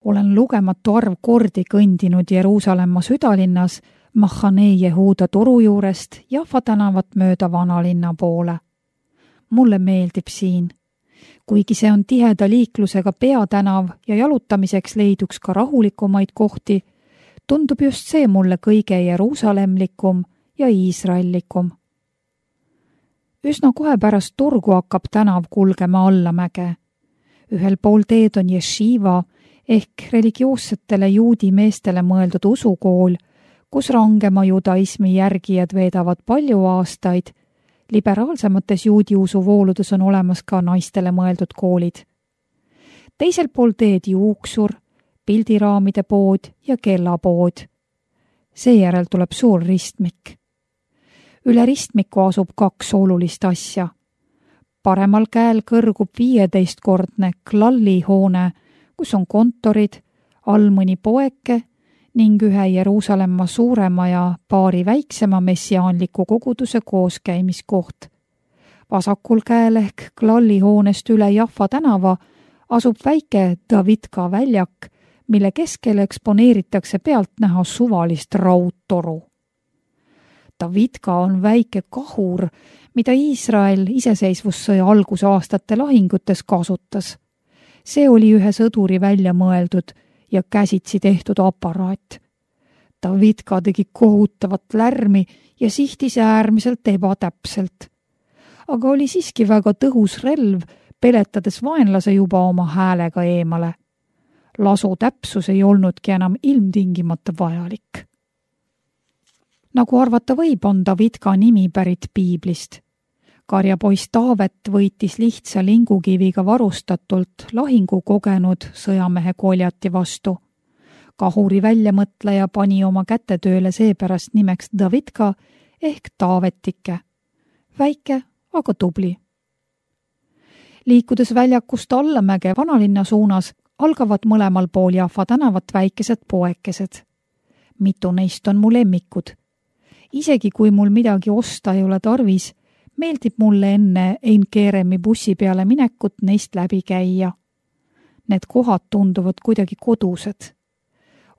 Olen lugematu arv kordi kõndinud Jeruusalemma südalinnas Mahhanee Jehuuda turu juurest Jaffa tänavat mööda vanalinna poole. Mulle meeldib siin. Kuigi see on tiheda liiklusega peatänav ja jalutamiseks leiduks ka rahulikumaid kohti, tundub just see mulle kõige jeruusalemlikum ja iisraellikum. Üsna kohe pärast turgu hakkab tänav kulgema allamäge. Ühel pool teed on Yeshiva ehk religioossetele juudi meestele mõeldud usukool, kus rangema judaismi järgijad veedavad palju aastaid. Liberaalsemates juudi usuvooludes on olemas ka naistele mõeldud koolid. Teisel pool teed juuksur, pildiraamide pood ja kellapood. Seejärel tuleb suur ristmik. Üle ristmiku asub 2 olulist asja. Paremal käel kõrgub 15-kordne Klalli hoone, kus on kontorid, all mõni poeke ning ühe Jeruusalemma suurema ja paari väiksema messiaanliku koguduse kooskäimiskoht. Vasakul käel ehk Klalli hoonest üle Jaffa tänava asub väike Davidka väljak, mille keskel eksponeeritakse pealtnäha suvalist raudtoru. Davidka on väike kahur, mida Iisrael iseseisvussõja algusaastate lahingutes kasutas. See oli ühe sõduri välja mõeldud ja käsitsi tehtud aparaat. Davidka tegi kohutavat lärmi ja sihtis äärmiselt ebatäpselt. Aga oli siiski väga tõhus relv, peletades vaenlase juba oma häälega eemale. Lasu täpsus ei olnudki enam ilmtingimata vajalik. Nagu arvata võib, on Davidka nimi pärit piiblist. Karjapoiss Taavet võitis lihtsa lingukiviga varustatult lahingu kogenud sõjamehe Goljati vastu. Kahuri väljamõtleja pani oma kätetööle seepärast nimeks Davidka ehk Taavetike. Väike, aga tubli. Liikudes väljakust allamäge vanalinna suunas, algavad mõlemal pool Jaffa tänavat väikesed poekesed. Mitu neist on mu lemmikud. Isegi kui mul midagi osta ei ole tarvis, meeldib mulle enne Ein Keremi bussi peale minekut neist läbi käia. Need kohad tunduvad kuidagi kodused.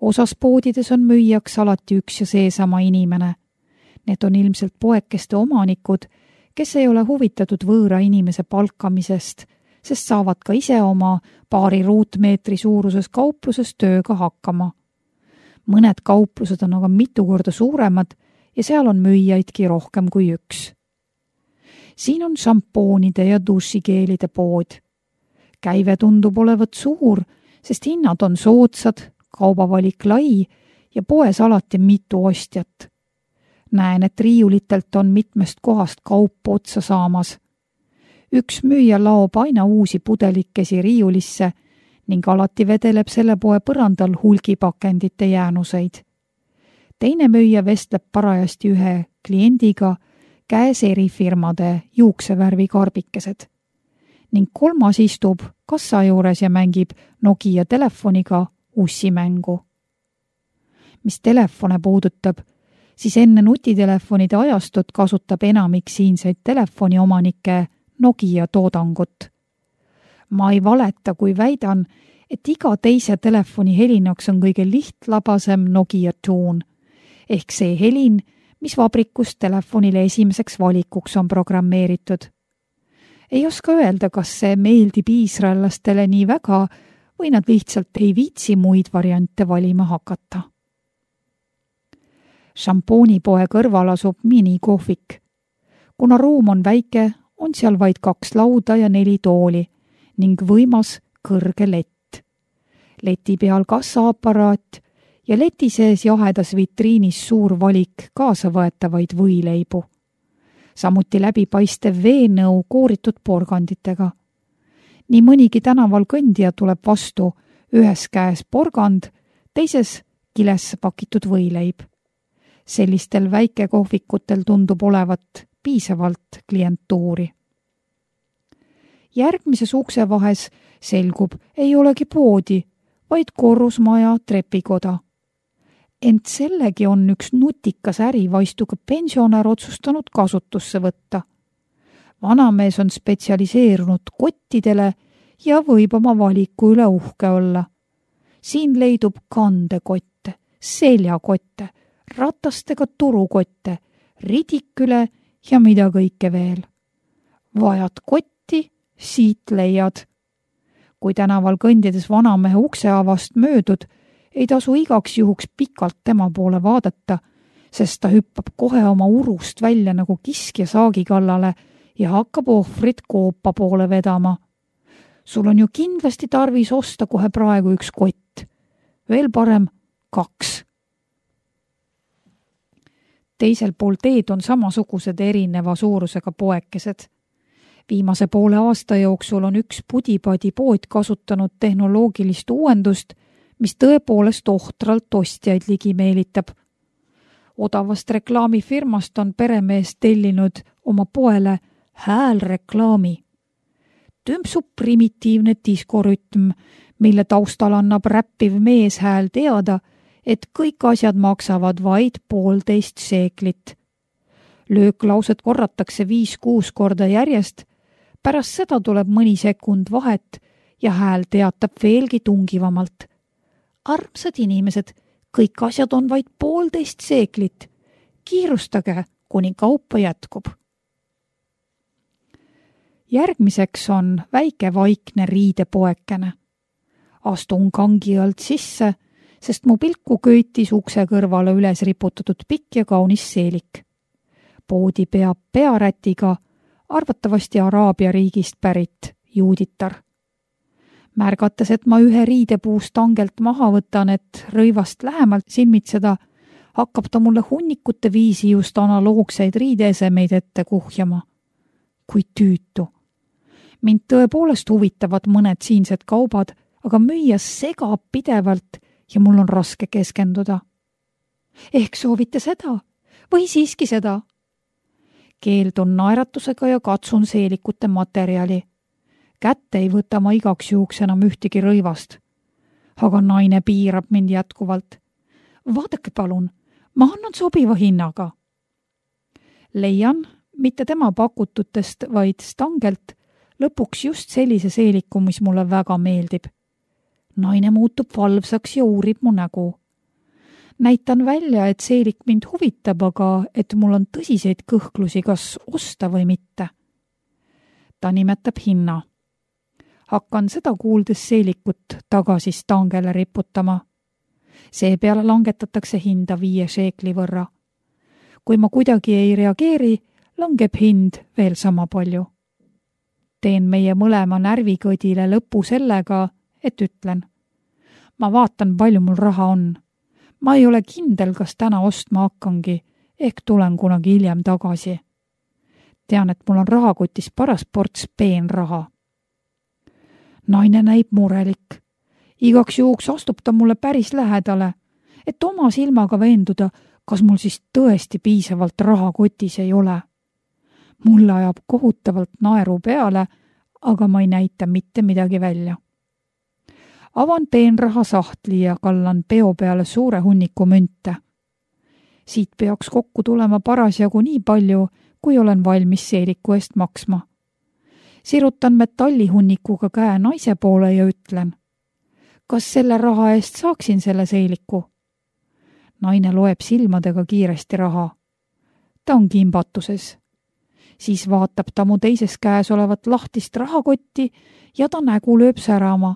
Osas poodides on müüjaks alati üks ja seesama inimene. Need on ilmselt poekeste omanikud, kes ei ole huvitatud võõra inimese palkamisest, sest saavad ka ise oma paari ruutmeetri suuruses kaupluses tööga hakkama. Mõned kauplused on aga mitu korda suuremad ja seal on müüjaidki rohkem kui üks. Siin on šampoonide ja dušikeelide pood. Käive tundub olevat suur, sest hinnad on soodsad, kaubavalik lai ja poes alati mitu ostjat. Näen, et riiulitelt on mitmest kohast kaup otsa saamas. Üks müüja laob aina uusi pudelikesi riiulisse ning alati vedeleb selle poe põrandal hulgipakendite jäänuseid. Teine müüja vestleb parajasti ühe kliendiga, käes erifirmade juuksevärvi karbikesed. Ning kolmas istub kassa juures ja mängib Nokia telefoniga ussimängu. Mis telefone puudutab, siis enne nutitelefonide ajastut kasutab enamik siinseid telefoniomanikke Nokia toodangut. Ma ei valeta, kui väidan, et iga teise telefoni helinaks on kõige lihtlabasem Nokia tuun, ehk see helin, mis vabrikus telefonile esimeseks valikuks on programmeeritud. Ei oska öelda, kas see meeldib iisraellastele nii väga või nad lihtsalt ei viitsi muid variante valima hakata. Šampoonipoe kõrval asub minikohvik. Kuna ruum on väike, on seal vaid 2 lauda ja 4 tooli ning võimas kõrge lett. Leti peal kassaaparaat ja leti sees jahedas vitriinis suur valik kaasavõetavaid võileibu. Samuti läbipaistev veenõu kooritud porganditega. Nii mõnigi tänaval kõndija tuleb vastu, ühes käes porgand, teises kilesse pakitud võileib. Sellistel väikekohvikutel tundub olevat piisavalt klientuuri. Järgmises uksevahes selgub, ei olegi poodi, vaid korrusmaja trepikoda. Ent sellegi on üks nutikas ärivaistuga pensionär otsustanud kasutusse võtta. Vanamees on spetsialiseerunud kottidele ja võib oma valiku üle uhke olla. Siin leidub kandekotte, seljakotte, ratastega turukotte, ridiküle ja mida kõike veel. Vajad kotti, siit leiad. Kui tänaval kõndides vanamehe ukseavast möödud, ei tasu igaks juhuks pikalt tema poole vaadata, sest ta hüppab kohe oma urust välja nagu kiskja saagi kallale ja hakkab ohvrit koopa poole vedama. Sul on ju kindlasti tarvis osta kohe praegu üks kott. Veel parem 2. Teisel pool teed on samasugused erineva suurusega poekesed. Viimase poole aasta jooksul on üks pudipadi pood kasutanud tehnoloogilist uuendust, mis tõepoolest ohtralt ostjaid ligi meelitab. Odavast reklaamifirmast on peremees tellinud oma poele häälreklaami. Tümpsub primitiivne diskorütm, mille taustal annab räppiv meeshääl teada, et kõik asjad maksavad vaid 1,5 seeklit. Lööklauset korratakse 5-6 korda järjest, pärast seda tuleb mõni sekund vahet ja hääl teatab veelgi tungivamalt. Armsad inimesed, kõik asjad on vaid 1,5 seeklit. Kiirustage, kuni kaupa jätkub. Järgmiseks on väike vaikne riidepoekene. Astun kangi alt sisse, sest mu pilku köitis ukse kõrvale üles riputatud pikk ja kaunis seelik. Poodi peab pearätiga, arvatavasti Araabia riigist pärit juuditar. Märgates, et ma ühe riidepuust tangelt maha võtan, et rõivast lähemalt silmitseda, hakkab ta mulle hunnikute viisi just analoogseid riideesemeid ette kuhjama. Kui tüütu. Mind tõepoolest huvitavad mõned siinsed kaubad, aga müüja segab pidevalt ja mul on raske keskenduda. Ehk soovite seda või siiski seda? Keeldun naeratusega ja katsun seelikute materjali. Kätte ei võta ma igaks juhuks enam ühtegi rõivast. Aga naine piirab mind jätkuvalt. Vaadake palun, ma annan sobiva hinnaga. Leian, mitte tema pakututest, vaid stangelt, lõpuks just sellise seeliku, mis mulle väga meeldib. Naine muutub valvsaks ja uurib mu nägu. Näitan välja, et seelik mind huvitab, aga et mul on tõsiseid kõhklusi, kas osta või mitte. Ta nimetab hinna. Hakkan seda kuuldes seelikut tagasi stangele riputama. Seepeale langetatakse hinda 5 seekli võrra. Kui ma kuidagi ei reageeri, langeb hind veel sama palju. Teen meie mõlema närvikõdile lõpu sellega, et ütlen. Ma vaatan, palju mul raha on. Ma ei ole kindel, kas täna ostma hakkangi, ehk tulen kunagi hiljem tagasi. Tean, et mul on rahakotis paras ports peenraha. Naine näib murelik. Igaks juhuks astub ta mulle päris lähedale, et oma silmaga veenduda, kas mul siis tõesti piisavalt raha kotis ei ole. Mulle ajab kohutavalt naeru peale, aga ma ei näita mitte midagi välja. Avan peenraha sahtli ja kallan peo peale suure hunniku münte. Siit peaks kokku tulema parasjagu nii palju, kui olen valmis seeliku eest maksma. Sirutan metallihunnikuga käe naise poole ja ütlen. Kas selle raha eest saaksin selle seeliku? Naine loeb silmadega kiiresti raha. Ta on kimbatuses. Siis vaatab ta mu teises käes olevat lahtist rahakotti ja ta nägu lööb särama.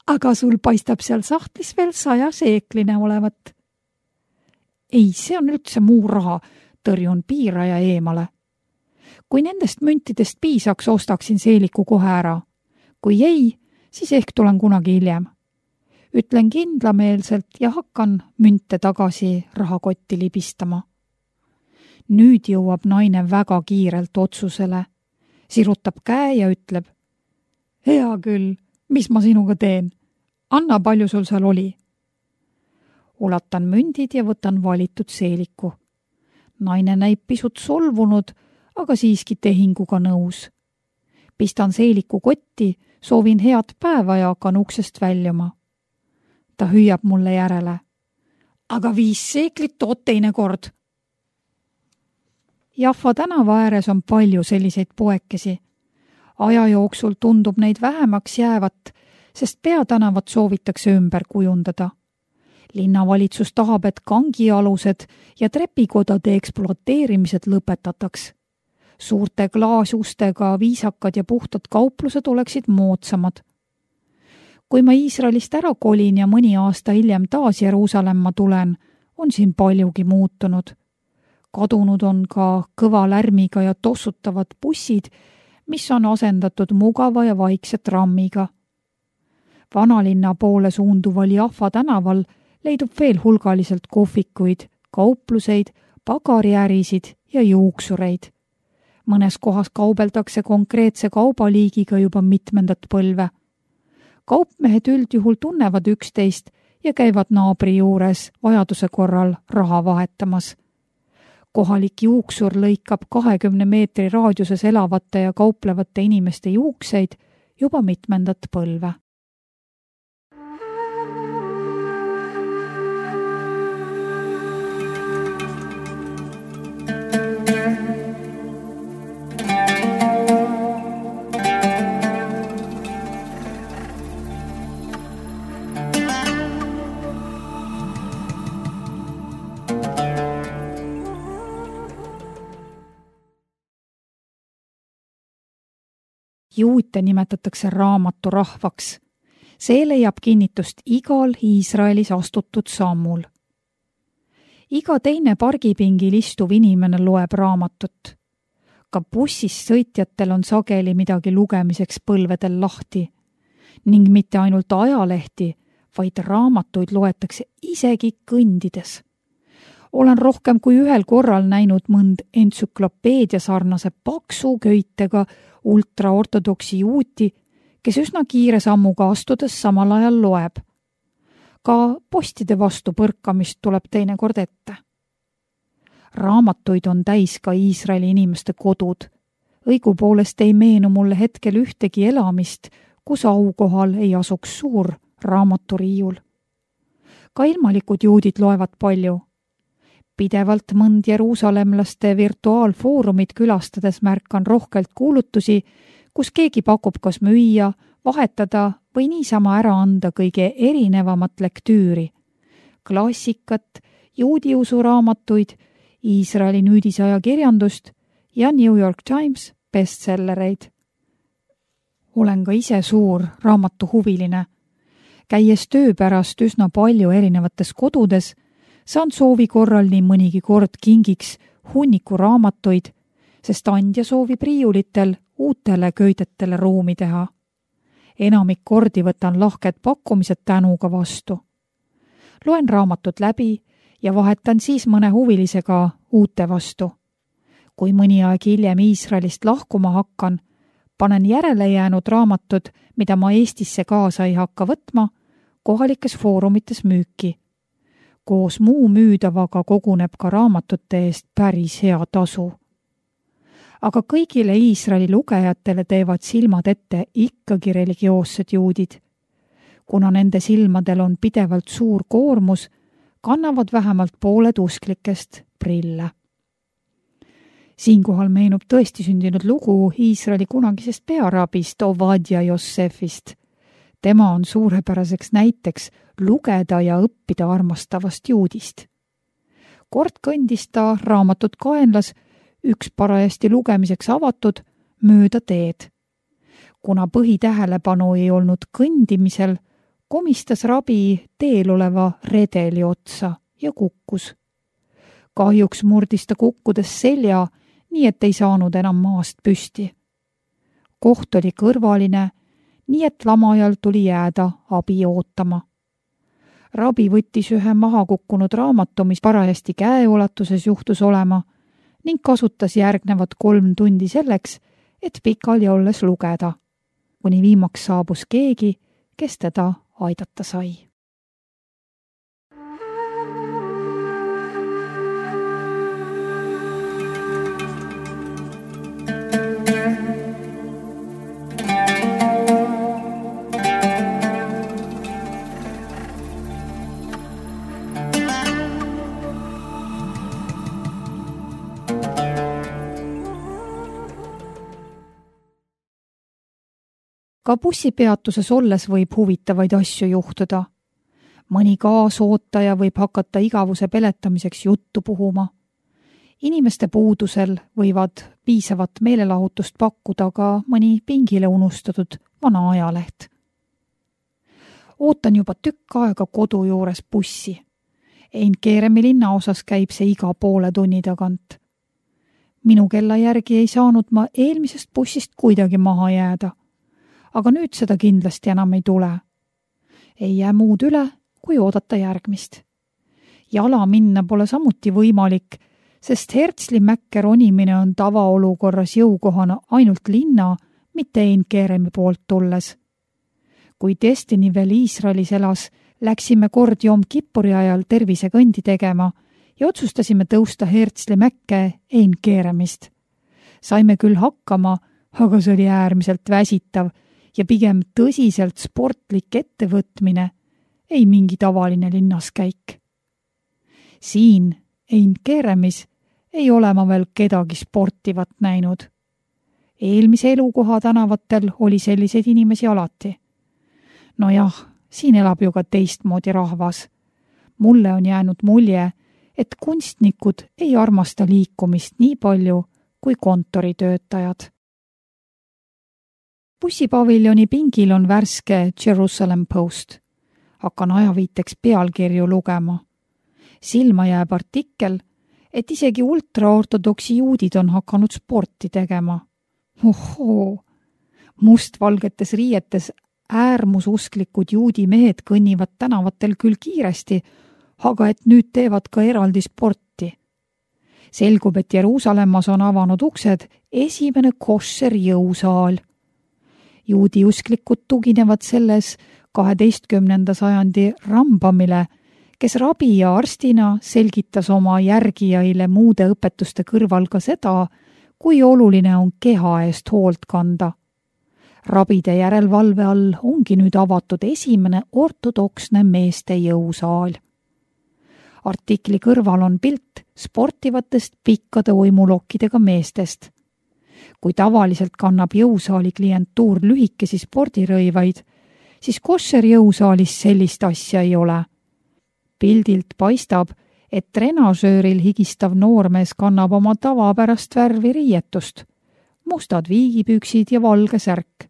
Aga sul paistab seal sahtlis veel 100 seekline olevat. Ei, see on üldse muu raha, tõrjun piiraja eemale. Kui nendest müntidest piisaks, ostaksin seeliku kohe ära. Kui ei, siis ehk tulen kunagi hiljem. Ütlen kindlameelselt ja hakkan münte tagasi rahakotti libistama. Nüüd jõuab naine väga kiirelt otsusele. Sirutab käe ja ütleb. Hea küll, mis ma sinuga teen? Anna, palju sul seal oli? Ulatan mündid ja võtan valitud seeliku. Naine näib pisut solvunud, aga siiski tehinguga nõus. Pistan seeliku kotti, soovin head päeva ja hakkan uksest väljuma. Ta hüüab mulle järele. Aga 5 seeklit tood teine kord. Jaffa tänava ääres on palju selliseid poekesi. Aja jooksul tundub neid vähemaks jäävat, sest peatänavat soovitakse ümber kujundada. Linnavalitsus tahab, et kangialused ja trepikodade ekspluateerimised lõpetataks. Suurte klaasustega viisakad ja puhtad kauplused oleksid moodsamad. Kui ma Iisraelist ära kolin ja mõni aasta hiljem taas Jeruusalemma tulen, on siin paljugi muutunud. Kadunud on ka kõva lärmiga ja tossutavad bussid, mis on asendatud mugava ja vaikse trammiga. Vanalinna poole suunduval Jaffa tänaval leidub veel hulgaliselt kohvikuid, kaupluseid, pagariärisid ja juuksureid. Mõnes kohas kaubeldakse konkreetse kaubaliigiga juba mitmendat põlve. Kaupmehed üldjuhul tunnevad üksteist ja käivad naabri juures vajaduse korral raha vahetamas. Kohalik juuksur lõikab 20 meetri raadiuses elavate ja kauplevate inimeste juukseid juba mitmendat põlve. Juute nimetatakse raamaturahvaks. See leiab kinnitust igal Iisraelis astutud sammul. Iga teine pargipingil istuv inimene loeb raamatut. Ka bussis sõitjatel on sageli midagi lugemiseks põlvedel lahti. Ning mitte ainult ajalehti, vaid raamatuid loetakse isegi kõndides. Olen rohkem kui ühel korral näinud mõnd entsüklopeedia sarnase paksu köitega ultraortodoksi juuti, kes üsna kiire sammuga astudes samal ajal loeb. Ka postide vastu põrkamist tuleb teinekord ette. Raamatuid on täis ka Iisraeli inimeste kodud. Õigupoolest ei meenu mulle hetkel ühtegi elamist, kus aukohal ei asuks suur raamaturiiul. Ka ilmalikud juudid loevad palju. Pidevalt mõnd jeruusalemlaste virtuaalfoorumid külastades märkan rohkelt kuulutusi, kus keegi pakub kas müüa, vahetada või niisama ära anda kõige erinevamat lektüüri. Klassikat, juudiusu raamatuid, Iisraeli nüüdisajakirjandust ja New York Times bestsellereid. Olen ka ise suur raamatuhuviline. Käies töö pärast üsna palju erinevates kodudes, saan soovi korral nii mõnigi kord kingiks hunniku raamatuid, sest andja soovib riiulitel uutele köidetele ruumi teha. Enamik kordi võtan lahked pakkumised tänuga vastu. Loen raamatut läbi ja vahetan siis mõne huvilisega uute vastu. Kui mõni aeg hiljem Iisraelist lahkuma hakkan, panen järele jäänud raamatud, mida ma Eestisse kaasa ei hakka võtma, kohalikes foorumites müüki. Koos muu müüdavaga koguneb ka raamatute eest päris hea tasu. Aga kõigile Iisraeli lugejatele teevad silmad ette ikkagi religioossed juudid. Kuna nende silmadel on pidevalt suur koormus, kannavad vähemalt pooled usklikest prille. Siinkohal meenub tõesti sündinud lugu Iisraeli kunagisest pearabist Ovadia Jossefist. Tema on suurepäraseks näiteks lugeda ja õppida armastavast juudist. Kord kõndis ta raamatut kaenlas, üks parajasti lugemiseks avatud, mööda teed. Kuna põhitähelepanu ei olnud kõndimisel, komistas rabi teel oleva redeli otsa ja kukkus. Kahjuks murdis ta kukkudes selja, nii et ei saanud enam maast püsti. Koht oli kõrvaline, nii et lamajal tuli jääda abi ootama. Rabi võttis ühe maha kukkunud raamatu, mis parajasti käeulatuses juhtus olema, ning kasutas järgnevad 3 tundi selleks, et pikali olles lugeda, kuni viimaks saabus keegi, kes teda aidata sai. Ka bussipeatuses olles võib huvitavaid asju juhtuda. Mõni kaasootaja võib hakata igavuse peletamiseks juttu puhuma. Inimeste puudusel võivad piisavat meelelahutust pakkuda ka mõni pingile unustatud vana ajaleht. Ootan juba tükk aega kodu juures bussi. Eindkeeremi linnaosas käib see iga poole tunni tagant. Minu kella järgi ei saanud ma eelmisest bussist kuidagi maha jääda, aga nüüd seda kindlasti enam ei tule. Ei jää muud üle, kui oodata järgmist. Jala minna pole samuti võimalik, sest Herzli mäkke ronimine on tavaolukorras jõukohana ainult linna, mitte Eindkeeremi poolt tulles. Kui Destiny veel Iisraelis elas, läksime kord Jom Kippuri ajal tervisekõndi tegema ja otsustasime tõusta Herzli mäkke Eindkeeremist. Saime küll hakkama, aga see oli äärmiselt väsitav ja pigem tõsiselt sportlik ettevõtmine, ei mingi tavaline linnaskäik. Siin Eindkeeremis ei ole ma veel kedagi sportivat näinud. Eelmise elukoha tänavatel oli selliseid inimesi alati. No jah, siin elab ju ka teistmoodi rahvas. Mulle on jäänud mulje, et kunstnikud ei armasta liikumist nii palju kui kontoritöötajad. Bussipaviljoni pingil on värske Jerusalem Post. Hakkan ajaviiteks pealkirju lugema. Silma jääb artikkel, et isegi ultraortodoksi juudid on hakanud sporti tegema. Ohoo! Mustvalgetes riietes äärmususklikud juudi mehed kõnnivad tänavatel küll kiiresti, aga et nüüd teevad ka eraldi sporti. Selgub, et Jeruusalemmas on avanud uksed esimene koššer jõusaal. Juudi usklikud tuginevad selles 12. sajandi Rambamile, kes rabi ja arstina selgitas oma järgijaile muude õpetuste kõrval ka seda, kui oluline on keha eest hoolt kanda. Rabide järelvalve all ongi nüüd avatud esimene ortodoksne meeste jõusaal. Artikli kõrval on pilt sportivatest pikkade uimulokkidega meestest. Kui tavaliselt kannab jõusaali klientuur lühikesi spordirõivaid, siis koššer jõusaalis sellist asja ei ole. Pildilt paistab, et trenažööril higistav noormees kannab oma tavapärast värvi riietust, mustad viigipüksid ja valge särk.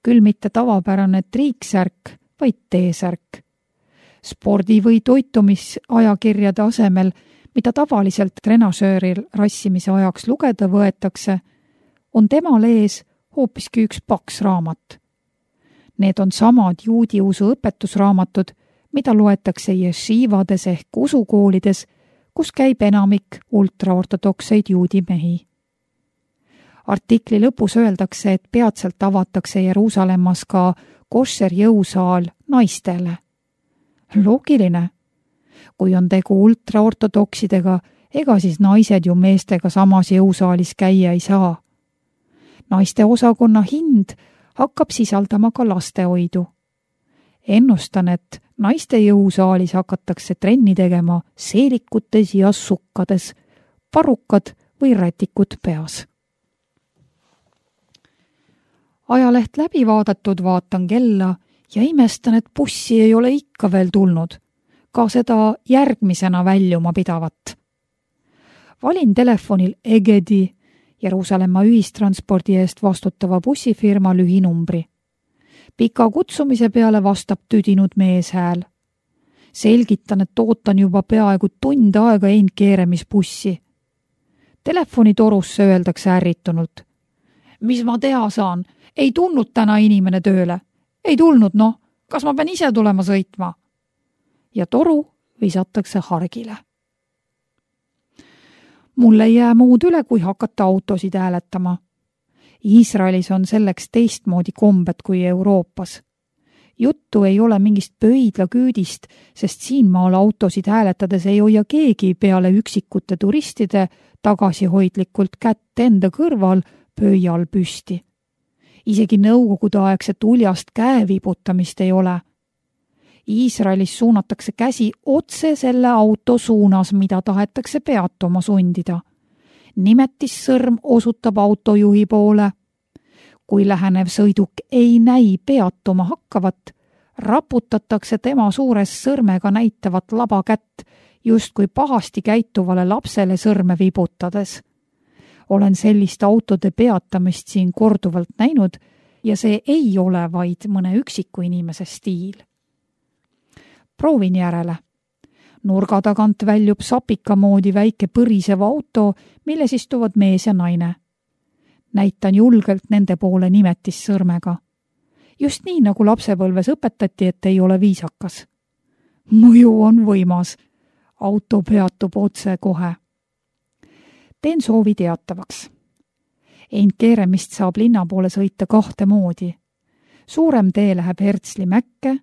Küll mitte tavapärane triiksärk, vaid T-särk. Spordi- või toitumisajakirjade asemel, mida tavaliselt trenažööril rassimise ajaks lugeda võetakse, on temal ees hoopiski üks paks raamat. Need on samad juudi usu õpetusraamatud, mida loetakse ješivades ehk usukoolides, kus käib enamik ultraortodokseid juudi mehi. Artikli lõpus öeldakse, et peatselt avatakse Jeruusalemmas ka koššer jõusaal naistele. Loogiline. Kui on tegu ultraortodoksidega, ega siis naised ju meestega samas jõusaalis käia ei saa. Naiste osakonna hind hakkab sisaldama ka lastehoidu. Ennustan, et naiste jõusaalis hakatakse trenni tegema seelikutes ja sukkades, parukad või rätikud peas. Ajaleht läbi vaadatud, vaatan kella ja imestan, et bussi ei ole ikka veel tulnud, ka seda järgmisena väljuma pidavat. Valin telefonil Egedi, Jeruusalemma ühistranspordi eest vastutava bussifirma lühinumbri. Pika kutsumise peale vastab tüdinud meeshääl. Selgitan, et ootan juba peaaegu tund aega Eindkeeremis bussi. Telefonitorusse öeldakse ärritunult. Mis ma teha saan? Ei tulnud täna inimene tööle. Ei tulnud, noh. Kas ma pean ise tulema sõitma? Ja toru visatakse hargile. Mul ei jää muud üle, kui hakata autosid hääletama. Iisraelis on selleks teistmoodi kombed kui Euroopas. Juttu ei ole mingist pöidlaküüdist, sest siinmaal autosid hääletades ei hoia keegi peale üksikute turistide tagasihoidlikult kätt enda kõrval pöial püsti. Isegi nõukogudeaegset uljast käevibutamist ei ole. Iisraelis suunatakse käsi otse selle auto suunas, mida tahetakse peatuma sundida. Nimetissõrm osutab autojuhi poole. Kui lähenev sõiduk ei näi peatuma hakkavat, raputatakse tema suures sõrmega näitavat laba kätt, justkui pahasti käituvale lapsele sõrme vibutades. Olen sellist autode peatamist siin korduvalt näinud ja see ei ole vaid mõne üksiku inimese stiil. Proovin järele. Nurga tagant väljub sapika moodi väike põrisev auto, milles istuvad mees ja naine. Näitan julgelt nende poole nimetissõrmega. Just nii, nagu lapsepõlves õpetati, et ei ole viisakas. Mõju on võimas. Auto peatub otse kohe. Teen soovi teatavaks. Keeremist saab linna poole sõita 2 moodi. Suurem tee läheb Hertsli Mäkke,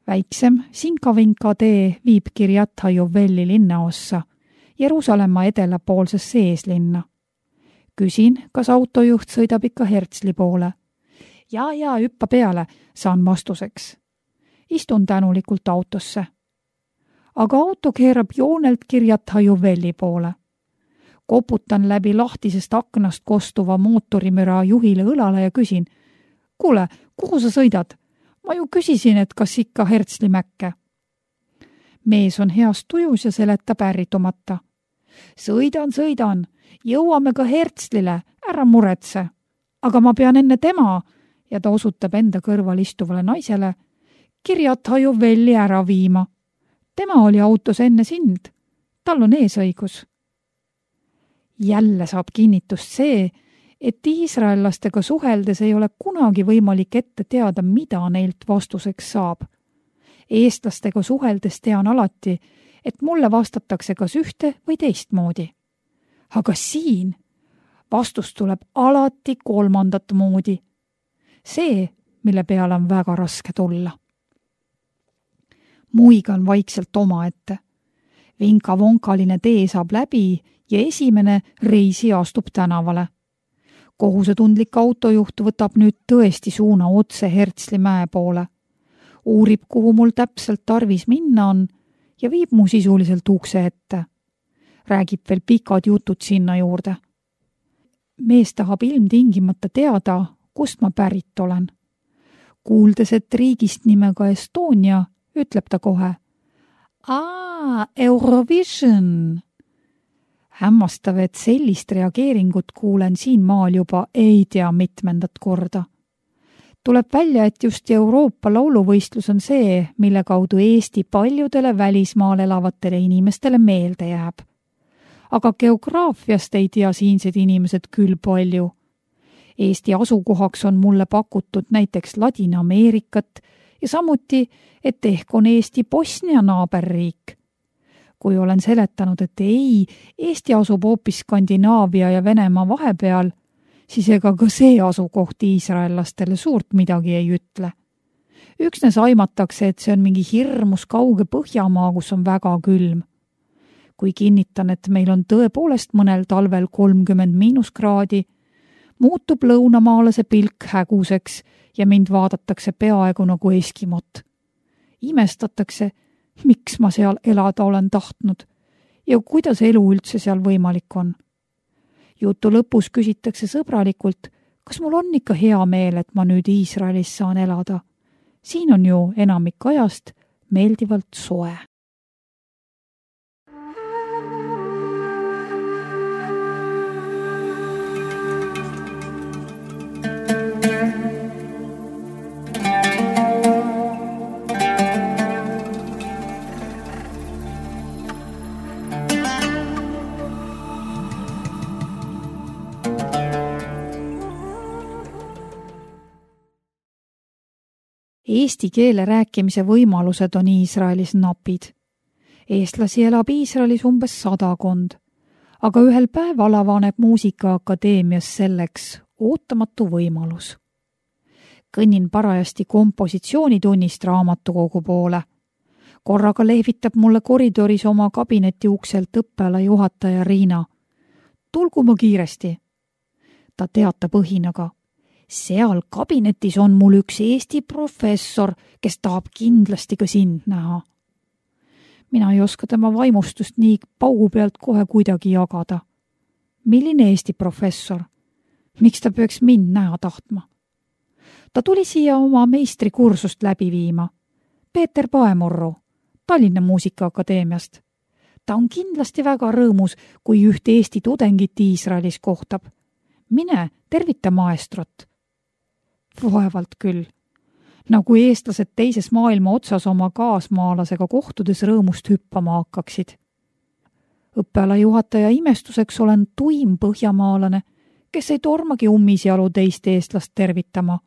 väiksem Sinkavinka tee viib Kirjat Hajovelli linnaossa, Jeruusalemma edelapoolsesse eeslinna. Küsin, kas autojuht sõidab ikka Hertsli poole. Ja, hüppa peale, saan vastuseks. Istun tänulikult autosse. Aga auto keerab joonelt Kirjat Hajovelli poole. Koputan läbi lahtisest aknast kostuva mootorimüra juhile õlale ja küsin, kuule, kuhu sa sõidad? Ma ju küsisin, et kas ikka Hertsli Mäkke. Mees on heas tujus ja seletab ärritumata. Sõidan, jõuame ka Hertslile, ära muretse. Aga ma pean enne tema, ja ta osutab enda kõrval istuvale naisele, Kirjat Hajovelli ära viima. Tema oli autos enne sind. Tal on eesõigus. Jälle saab kinnitust see, et iisraellastega suheldes ei ole kunagi võimalik ette teada, mida neilt vastuseks saab. Eestlastega suheldes tean alati, et mulle vastatakse kas ühte või teistmoodi. Aga siin vastus tuleb alati 3. moodi. See, mille peale on väga raske tulla. Muigan vaikselt omaette. Vinka-vonkaline tee saab läbi ja esimene reisi astub tänavale. Kohusetundlik autojuht võtab nüüd tõesti suuna otse Hertsli mäe poole. Uurib, kuhu mul täpselt tarvis minna on ja viib mu sisuliselt ukse ette. Räägib veel pikad jutud sinna juurde. Mees tahab ilmtingimata teada, kust ma pärit olen. Kuuldes, et riigist nimega Estonia, ütleb ta kohe. Eurovision! Hämmastav, et sellist reageeringut kuulen siin maal juba ei tea mitmendat korda. Tuleb välja, et just Euroopa lauluvõistlus on see, mille kaudu Eesti paljudele välismaal elavatele inimestele meelde jääb. Aga geograafiast ei tea siinsed inimesed küll palju. Eesti asukohaks on mulle pakutud näiteks Ladina-Ameerikat ja samuti, et ehk on Eesti Bosnia naaberriik. Kui olen seletanud, et ei, Eesti asub hoopis Skandinaavia ja Venemaa vahepeal, siis ega ka see asukoht iisraellastele suurt midagi ei ütle. Üksnes aimatakse, et see on mingi hirmus kauge Põhjamaa, kus on väga külm. Kui kinnitan, et meil on tõepoolest mõnel talvel 30 –kraadi, muutub lõunamaalase pilk häguseks ja mind vaadatakse peaaegu nagu Eskimot. Imestatakse, miks ma seal elada olen tahtnud ja kuidas elu üldse seal võimalik on. Jutu lõpus küsitakse sõbralikult, kas mul on ikka hea meel, et ma nüüd Iisraelis saan elada. Siin on ju enamik ajast meeldivalt soe. Eesti keele rääkimise võimalused on Iisraelis napid. Eestlasi elab Iisraelis umbes 100, aga ühel päeval avaneb Muusikaakadeemias selleks ootamatu võimalus. Kõnnin parajasti kompositsioonitunnist raamatukogu poole. Korraga lehvitab mulle koridoris oma kabineti ukselt õppeala juhataja Riina. Tulgu ma kiiresti. Ta teatab õhinaga. Seal kabinetis on mul üks Eesti professor, kes tahab kindlasti ka sind näha. Mina ei oska tema vaimustust nii paugu pealt kohe kuidagi jagada. Milline Eesti professor? Miks ta peaks mind näha tahtma? Ta tuli siia oma meistrikursust läbi viima. Peeter Paemurru, Tallinna Muusikaakadeemiast. Ta on kindlasti väga rõõmus, kui üht Eesti tudengit Iisraelis kohtab. Mine, tervita maestrot. Vaevalt küll. Nagu eestlased teises maailma otsas oma kaasmaalasega kohtudes rõõmust hüppama hakkaksid. Õppeala juhataja imestuseks olen tuim põhjamaalane, kes ei tormagi ummisjalu teist eestlast tervitama.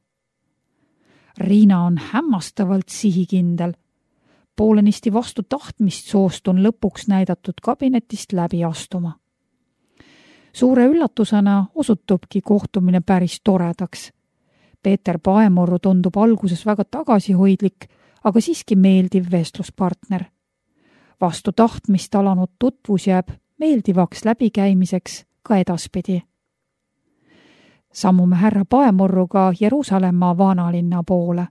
Riina on hämmastavalt sihikindel. Poolenisti vastu tahtmist soostun lõpuks näidatud kabinetist läbi astuma. Suure üllatusena osutubki kohtumine päris toredaks. Peeter Paemurru tundub alguses väga tagasihoidlik, aga siiski meeldiv vestluspartner. Vastu tahtmist alanud tutvus jääb meeldivaks läbikäimiseks ka edaspidi. Sammume härra Paemurruga Jeruusalemma vanalinna poole.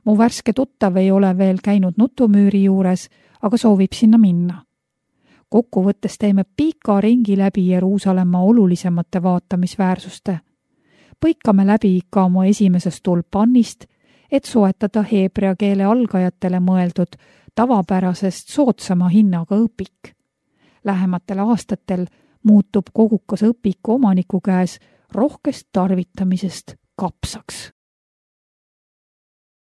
Mu värske tuttav ei ole veel käinud nutumüüri juures, aga soovib sinna minna. Kokkuvõttes teeme pika ringi läbi Jeruusalemma olulisemate vaatamisväärsuste. Põikame läbi ka oma esimesest tulpannist, et soetada heebrea keele algajatele mõeldud tavapärasest soodsama hinnaga õpik. Lähematel aastatel muutub kogukas õpiku omaniku käes rohkest tarvitamisest kapsaks.